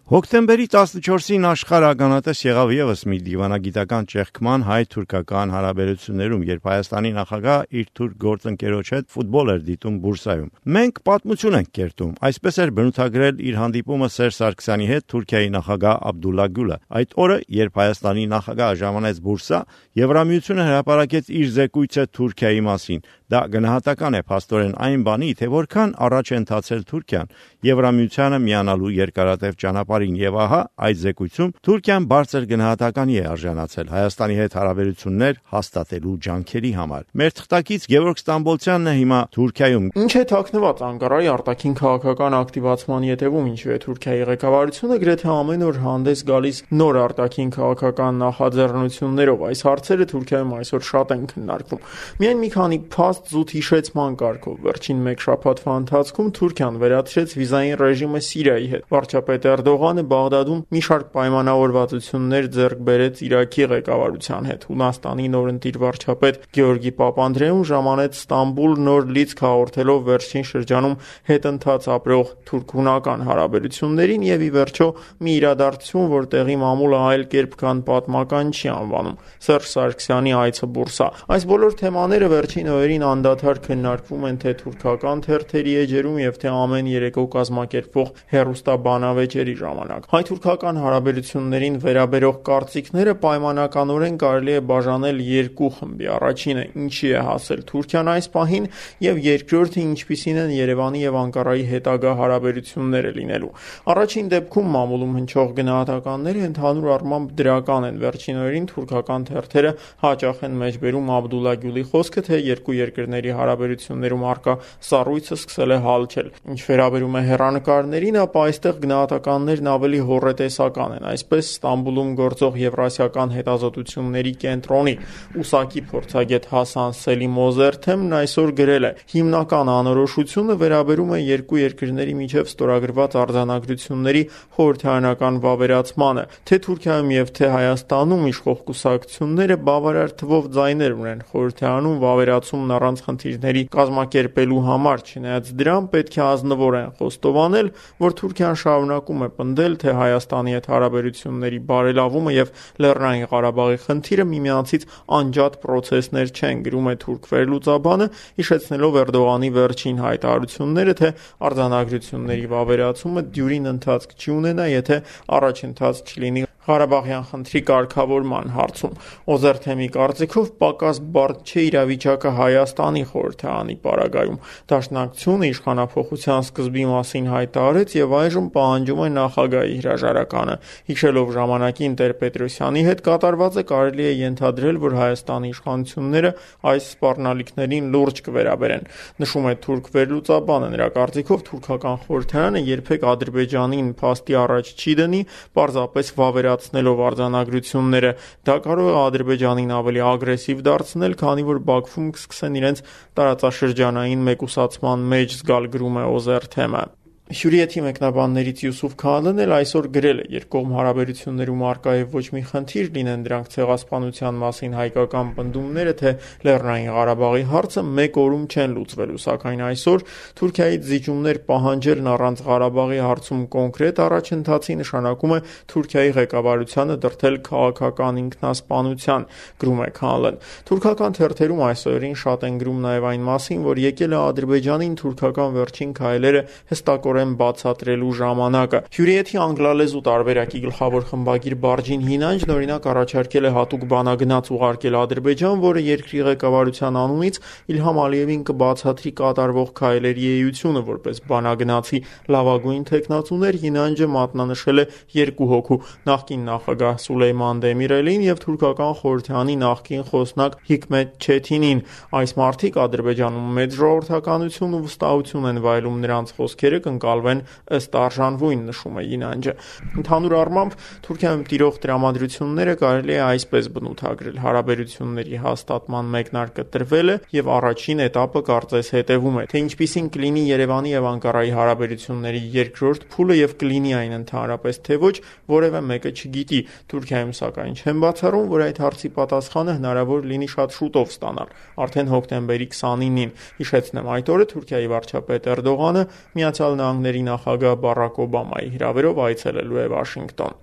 Հոկտեմբերի 14-ին աշխարհ ականատես եղավ ևս մի դիվանագիտական ճեղքման հայ-թուրքական հարաբերություններում, երբ Հայաստանի նախագահ իր թուրք գործընկերոջ հետ ֆուտբոլ էր դիտում Բուրսայում։ Մենք պատմություն ենք կերտում, այսպես էր բնութագրել իր հանդիպումը Սերժ Սարգսյանի հետ Թուրքիայի նախագահ Աբդուլլա Գյուլը։ Այդ օրը, երբ Հայաստանի նախագահը ժամանեց Բուրսա, Եվրամիությունը հրապարակեց իր զեկույցը Թուրքիայի մասին։ Դա գնահատական է փաստորեն այն բանի, թե որքան առաջ է ընթացել Թուրքիան Եվրամիությանը միանալու երկարատև ճանապարհին, եւ ահա այդ զեկույցում Թուրքիան բարձր գնահատականի է արժանացել Հայաստանի հետ հարաբերություններ հաստատելու ջանքերի համար։ Մեր թղթակից Գևորգ Ստամբոլցյանն է հիմա Թուրքիայում։ Ինչ է թաքնված Անկարայի արտաքին քաղաքական ակտիվացման ետևում, ինչու է Թուրքիայի ղեկավարությունը գրեթե ամեն օր հանդես գալիս նոր արտաքին քաղաքական նախաձեռնություններով։ Այս հարցերը Թուրքիայում այսօր շատ են քննարկվում։ Միայն մի քանի փաստ զուտ հիշեցման կարգով։ Վերջին մեկ շաբաթվա ընթացքում Թուրքիան վերացրեց վիզային ռեժիմը Սիրիայի հետ։ Վարչապետ Էրդողանը Բաղդադում մի շարք պայմանավորվածություններ ձեռք բերեց Իրաքի ղեկավարության հետ։ Հունաստանի նորընտիր վարչապետ Գեորգի Պապանդրեուն ժամանեց Ստամբուլ նոր լիցք հաղորդելով վերջին շրջանում հետընթաց ապրող թուրք-հունական հարաբերություններին եւ ի վերջո մի իրադարձություն, որ տեղի մամուլը այլ կերպ կան պատմական չի անվանում՝ Սերժ Սարգսյանի այցը Բուրսա։ Այս բոլոր թեմաները վերջին օրերին անդադար քննարկվում են թե թուրքական թերթերի էջերում եւ թե ամեն երեկո կազմակերպվող հեռուստաբանավեճերի ժամանակ։ Հայ-թուրքական հարաբերություններին վերաբերող կարծիքները պայմանականորեն կարելի է բաժանել երկու խմբի։ Առաջինը՝ ինչի է հասել Թուրքիան այս պահին, եւ երկրորդը՝ ինչպիսին են Երևանի եւ Անկարայի հետագա հարաբերությունները լինելու։ Առաջին դեպքում մամուլում հնչող գնահատականները ընդհանուր առմամբ դրական են։ Վերջին օրերին թուրքական թերթերը հաճախ են մեջբերում Աբդուլլա Գյուլի խոսքը, թե երկու երկրների հարաբերություններում առկա սառույցը սկսել է հալչել։ Ինչ վերաբերում է հեռանկարներին, ապա այստեղ գնահատականներն ավելի հոռետեսական են։ Այսպես Ստամբուլում գործող Եվրասիական հետազոտությունների կենտրոնի ուսակի փորձագետ Հասան Սելիմոզերթեմն այսօր գրել է. հիմնական անորոշությունը վերաբերում է երկու երկրների միջև ստորագրված արձանագրությունների խորհրդարանական վավերացմանը, թե Թուրքիայում եւ թե Հայաստանում իշխող կուսակցությունները բավարար թվով ձայներ ունեն խորհրդարանում վավերացումն առանց խնդիրների կազմակերպելու համար, չնայած դրան պետք է ազնվորեն խոստովանել, որ Թուրքիան շարունակում է պնդել, թե Հայաստանի հետ հարաբերությունների բարելավումը եւ Լեռնային Ղարաբաղի խնդիրը միմյանցից անջատ պրոցեսներ չեն, գրում է թուրք վերլուծաբանը, հիշեցնելով Էրդողանի վերջին հայտարարությունները, թե արձանագրությունների վավերացումը դյուրին ընթացք չի ունենա, եթե առաջընթաց չլինի Ղարաբաղյան խնդրի կարգավորման հարցում։ Օզերթեմի կարծիքով պակաս բարդ չէ իրավիճակը Հայաստանի խորհրդարանի պարագայում։ Դաշնակցությունը իշխանափոխության սկզբի մասին հայտարարեց եւ այժմ պահանջում է նախագահի հրաժարականը։ Հիշելով ժամանակին Տեր-Պետրոսյանի հետ կատարվածը, կարելի է ենթադրել, որ Հայաստանի իշխանությունները այս սպառնալիքներին լուրջ կվերաբերեն։ Նշում է թուրք վերլուծաբանը, նրա կարծիքով թուրքական խորհրդարանը երբեք Ադրբեջանին փաստի առաջ չի դնի, պարզապես վավերացնելով արձանագրությունները։ Դա կարող է Ադրբեջանին ավելի ագրեսիվ դարձնել, քանի որ Բաքվում կսկսեն իրենց տարածաշրջանային մեկուսացման մեջ զգալ, գրում է Օզերթեմը։ Հյուրիեթի մեկնաբաններից Յուսուֆ Քալեն էլ այսօր գրել է. երկկողմ հարաբերություններում առկա է ոչ մի խնդիր, լինեն դրանք ցեղասպանության մասին հայկական պնդումները, թե Լեռնային Ղարաբաղի հարցը մեկ օրում չեն լուծվելու, սակայն այսօր Թուրքիայից զիջումներ պահանջելն առանց Ղարաբաղի հարցում կոնկրետ առաջընթացի նշանակում է Թուրքիայի ղեկավարությանը դրդել քաղաքական ինքնասպանության, գրում է Քալեն։ Թուրքական թերթերում այսօրին շատ են գրում նաև այն մասին, որ եկել է Ադրբեջանին թուրքական վերջին քայլերը հստակորեն բացատրելու ժամանակը։ Հյուրիեթի անգլալեզու տարբերակի գլխավոր խմբագիր Բարջին Հինանջն օրինակ առաջարկել է հատուկ բանագնաց ուղարկել Ադրբեջան, որը երկրի ղեկավարության անունից Իլհամ Ալիևին կբացատրի կատարվող քայլերի էությունը, որպես բանագնացի լավագույն թեկնածուներ Հինանջը մատնանշել է երկու հոգու՝ նախկին նախագահ Սուլեյման Դեմիրելին եւ թուրքական խորհրդարանի նախկին խոսնակ Հիկմետ Չեթինին։ Այս մարդիկ Ադրբեջանում մեծ ժողովրդականություն ու վստահություն են վայելում, նրանց խոսքերը կընկալվեն ըստ արժանվույն, նշում է Հինանջը։ Ընդհանուր առմամբ Թուրքիայում տիրող տրամադրությունները կարելի է այսպես բնութագրել. հարաբերությունների հաստատման մեկնարկը տրվել է եւ առաջին էտապը կարծես հետեւում է, թե ինչպիսին կլինի Երևանի եւ Անկարայի հարաբերությունների երկրորդ փուլը եւ կլինի այն ընդհանրապես թե ոչ, որևէ մեկը չգիտի։ Թուրքիայում սակայն չեն բացառում, որ այդ հարցի պատասխանը հնարավոր լինի շատ շուտով ստանալ, արդեն հոկտեմբերի 29-ին։ Հիշեցնեմ, այդ օրը Թուրքիայի վարչապետ Էրդողանը Միացյալ Նահանգների նախագահ Բարակ Օբամայի հրավերով այցելելու է Վաշինգտոն։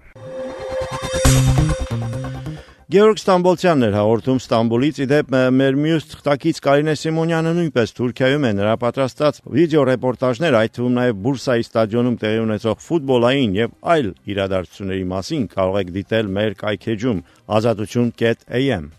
Գեորգ Ստամբոլցյանն էր հաղորդում Ստամբուլից, իդեպ մեր մյուս թղթակից Կարինե Սիմոնյանը նույնպես Թուրքիայում է, նրա պատրաստած վիդեո ռեպորտաժներ, այդ թվում նաև Բուրսայի ստադիոնում տեղի ունեցող ֆուտբոլային եւ այլ իրադարձությունների մասին կարող եք դիտել մեր կայքեջում azatutun.am։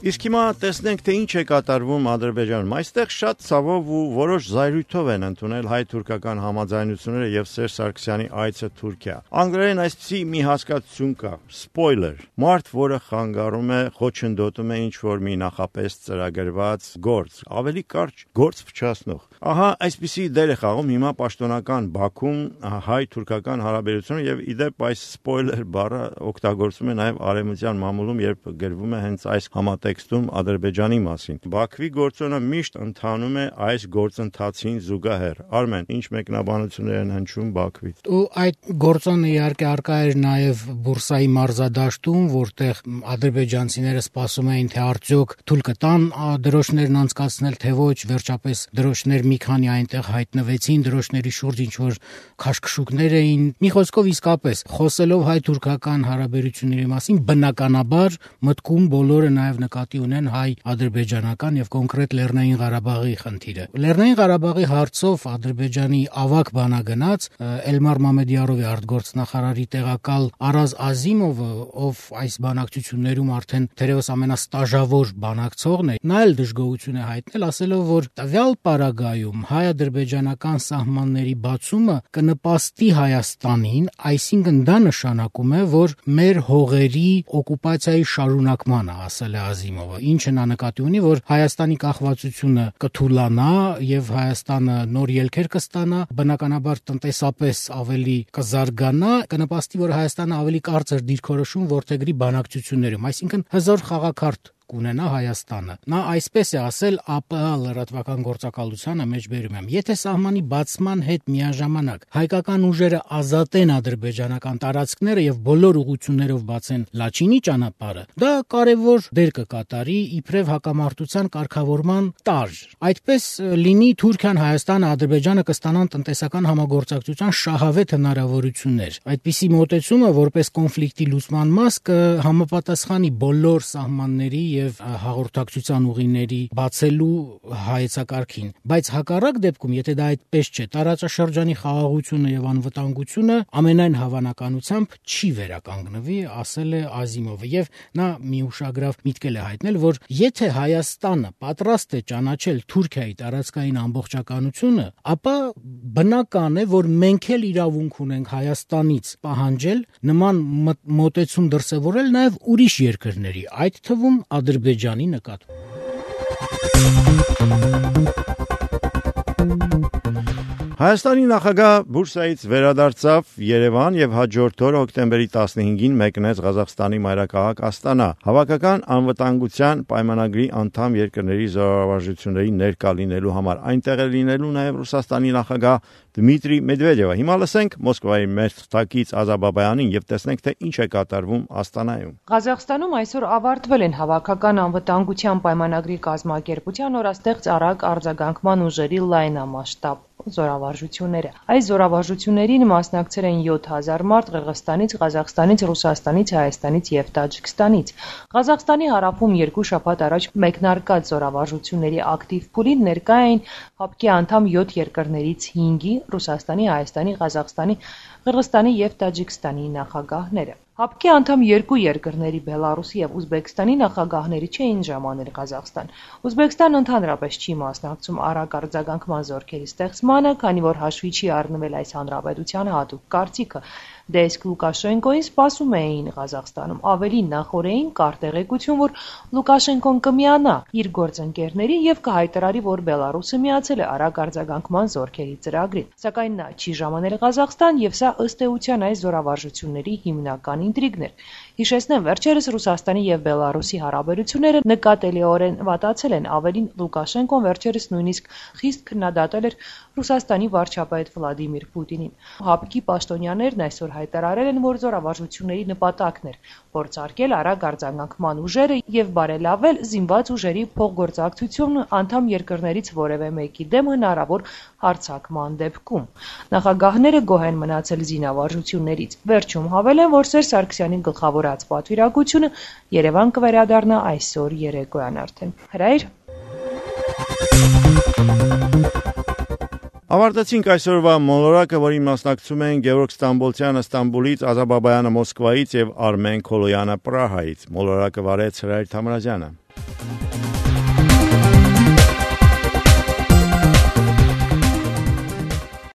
Իսկ հիմա տեսնենք, թե ինչ է կատարվում Ադրբեջանում։ Այստեղ շատ ցավով ու որոշ զայրույթով են ընդունել հայ-թուրքական համաձայնությունները եւ Սերժ Սարգսյանի այցը Թուրքիա։ Անգլերեն այսպիսի մի հասկացություն կա՝ սպոյլեր։ Մարդ, որը խանգարում է, խոչընդոտում է ինչ-որ մի նախապես ծրագրված գործ, ավելի կարճ գործ փչացնող։ Ահա այսպիսի դեր է խաղում հիմա պաշտոնական Բաքուն հայ-թուրքական հարաբերությունները եւ իդեպ այս սպոյլեր բառը օգտագործվում է նաեւ արևմտյան մամուլում, երբ գրվում է հենց այս համատեքստում Ադրբեջանի մասին։ Բաքվի գործոնը միշտ ընթանում է այս գործընթացին զուգահեռ։ Արմեն, ինչ մեկնաբանություններ են հնչում Բաքվից։ Ու այդ գործոնը իհարկե արկա էր նաև Բուրսայի մարզադաշտում, որտեղ ադրբեջանցիները սպասում էին, թե արդյոք թույլ կտան դրոշներն անցկացնել, թե ոչ, վերջապես դրոշներ մի քանի այնտեղ հայտնվեցին, դրոշների շուրջ ինչ-որ քաշքշուկներ էին։ Մի խոսքով իսկապես, խոսելով հայ-թուրքական հարաբերությունների մասին, բնականաբար մտքում բոլորը նաև նկատի ունեն հայ-ադրբեջանական եւ կոնկրետ Լեռնային Ղարաբաղի խնդիրը։ Լեռնային Ղարաբաղի հարցով Ադրբեջանի ավագ բանագնաց Էլմար Մամեդյարովի արտգործնախարարի տեղակալ Արազ Ազիմովը, ով այս բանակցություններում արդեն թերևս ամենաստաժավոր բանակցողն է, նա էլ դժգոհություն է հայտնել, ասելով, որ տվյալ պարագայում հայ-ադրբեջանական սահմանների բացումը կնպաստի Հայաստանին, այսինքն դա նշանակում է, որ մեր հողերի օկուպացիայի շարունակմանը, ասել է Ազիմովը, ինչը նա նկատի ունի, որ Հայաստանի կախվածությունը կթուլանա եւ Հայաստանը նոր ելքեր կստանա, բնականաբար տնտեսապես ավելի կզարգանա, կնպաստի, որ Հայաստանը ավելի կարծր դիրքորոշում որդեգրի բանակցություններում, այսինքն հզոր խաղակարգ կունենա Հայաստանը։ Նա այսպես է ասել ԱՊՀ լրատվական գործակալությանը մեջբերում եմ. եթե սահմանի բացման հետ միաժամանակ հայկական ուժերը ազատեն ադրբեջանական տարածքները եւ բոլոր ուղություններով բացեն Լաչինի ճանապարհը, դա կարևոր դեր կկատարի իբրև հակամարտության կարգավորման տարր։ Այդպես լինի Թուրքիան, Հայաստանը, Ադրբեջանը կստանան տնտեսական համագործակցության շահավետ հնարավորություններ։ Այդպիսի մոտեցումը որպես կոնֆլիկտի լուծման մաս կհամապատասխանի բոլոր սահմանների եւ հաղորդակցության ուղիների բացելու հայեցակարգին, բայց հակառակ դեպքում, եթե դա այդպես չէ, տարածաշրջանի խաղաղությունը եւ անվտանգությունը ամենայն հավանականությամբ չի վերականգնվի, ասել է Ազիմովը, եւ նա մի ուշագրավ միտքել է հայտնել, որ եթե Հայաստանը պատրաստ է ճանաչել Թուրքիայի տարածքային ամբողջականությունը, ապա բնական է, որ մենք էլ իրավունք ունենք Հայաստանից պահանջել նման մոտեցում դրսևորել նաեւ ուրիշ երկրների, այդ թվում Ադրբեջանի նկատմամբ։ Հայաստանի նախագահ Բուրսայից վերադարձավ Երևան եւ հաջորդ օրը հոկտեմբերի 15-ին մեկնեց Ղազախստանի մայրաքաղաք Աստանա։ Հավաքական անվտանգության պայմանագրի անդամ երկրների զորավարժությունների ներկա լինելու համար այնտեղ է լինելու նաեւ Ռուսաստանի նախագահ Դմիտրի Մեդվեդևը։ Հիմա լսենք Մոսկվայի մեր թղթակից Ազաբաբայանին եւ տեսնենք, թե ինչ է կատարվում Աստանայում։ Ղազախստանում այսօր ավարտվել են հավաքական անվտանգության պայմանագրի կազմակերպության օրաստեղծ արագ արձագանքման ուժերի լայնամասշտաբ զորավարժությունները։ Այս զորավարժություններին մասնակցել են 7000 մարդ Ղրղստանից, Ղազախստանից, Ռուսաստանից, Հայաստանից եւ Տաջիկստանից։ Ղազախստանի հարավում 2 շաբաթ առաջ մեկնարկած զորավարժությունների ակտիվ փուլին ներկա էին ՀԱՊԿ-ի անդամ 7 երկրներից 5-ի՝ Ռուսաստանի, Հայաստանի, Ղազախստանի, Ղրղստանի եւ Տաջիկստանի նախագահները։ ՀԱՊԿ-ի անդամ 2 երկրների Բելարուսի եւ Ուզբեկստանի նախագահները չէին ժամանել Ղազախստան։ Ուզբեկստանը ընդհանրապես չի մասնակցում արագ արձագանքման զորքերի ստեղծմանը, քանի որ հաշվի չի առնվել այս հանրապետության հատուկ կարծիքը։ Դե իսկ Լուկաշենկոին սպասում էին Ղազախստանում։ Ավելի նախորդին կար տեղեկություն, որ Լուկաշենկոն կմիանա իր գործընկերներին եւ կհայտարարի, որ Բելարուսը միացել է արագ արձագանքման զորքերի ծրագրին։ Սակայն նա չի ժամանել Ղազախստան եւ սա ըստ էության այս զորավարժությունների հիմնական ինտրիգն էր։ Հիշեցնեմ, վերջերս Ռուսաստանի եւ Բելարուսի հարաբերությունները նկատելիորեն վատացել են, ավելին Լուկաշենկոն վերջերս նույնիսկ խիստ քննադատել էր Ռուսաստանի վարչապետ Վլադիմիր Պուտինին։ ՀԱՊԿ-ի պաշտոնյաներն այսօր հայտարարել են, որ զորավարժությունների նպատակն էր փորձարկել արագ արձագանքման ուժերը եւ բարելավել զինված ուժերի փոխգործակցությունն անդամ երկրներից որևէ մեկի դեմ հնարավոր հարձակման դեպքում։ Նախագահները գոհ են մնացել զինավարժություններից։ Վերջում հավելեն, որ Սերժ Սարգսյանի գլխավորած պատվիրակությունը Երևան կվերադառնա այսօր երեկոյան արդեն։ Հրայր։ Ավարտեցինք այսօրվա մոլորակը, որին մասնակցում են Գևորգ Ստամբոլցյանը Ստամբուլից, Ազա Բաբայանը Մոսկվայից եւ Արմեն Քոլոյանը Պրահայից։ Մոլորակը վարեց Հրայր Թամրազյանը։